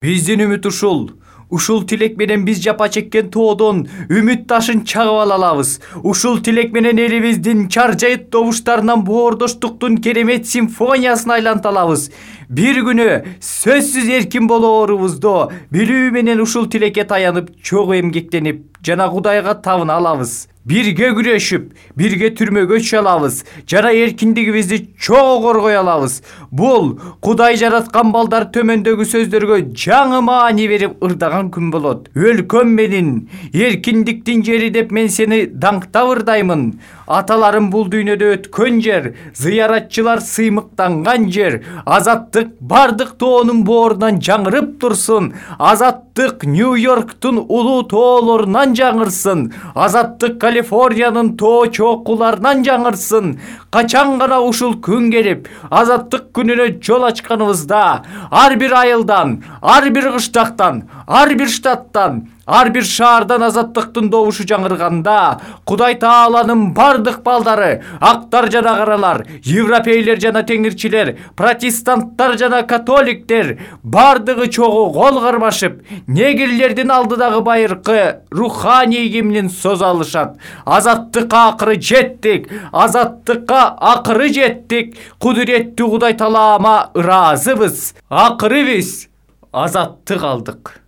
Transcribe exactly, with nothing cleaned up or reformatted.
Биздин үмүт ушул. Ушул тилек менен биз жапа чеккен тоодон үмүт ташын чагып ала алабыз. Ушул тилек менен элибиздин чаржайыт добуштарынан боордоштуктун керемет симфониясына айланта алабыз. Бир күнү сөзсүз эркин болоорубузду билүү менен ушул тилекке таянып, чогуу эмгектенип жана Кудайга табына алабыз. Бирге күрөшүп, бирге түрмөгө түшө алабыз жана эркиндигибизди чогуу коргой алабыз. Бул Кудай жараткан балдар төмөндөгү сөздөргө жаңы маани берип ырдаган күн болот. Өлкөм менин, эркиндиктин жери деп мен сени даңктап ырдаймын. Аталарым бул дүйнөдө өткөн жер, зыяратчылар сыймыктанган жер. Азаттык бардык тоонун боорунан жаңырып турсун. Азаттык Нью-Йорктун улуу тоолорунан жаңырсын. Азаттык Калифорниянын тоо чокуларынан жаңырсын. Качан гана ушул күн келип, азаттык күнүнө жол ачканыбызда, ар бир айылдан, ар бир кыштактан, ар бир штаттан, ар бир шаардан азаттыктын добушу жаңырганда, Кудай Тааланын бардык балдары, актар жана каралар, европейлер жана теңирчилер, протестанттар жана католиктер бардыгы чогуу кол кармашып, негрлердин алдыдагы байыркы руханий гимнин соза алышат. Азаттыкка акыры жеттик, азаттыкка акыры жеттик. Кудуреттүү Кудай Таалама ыраазыбыз. Акыры биз азаттык алдык.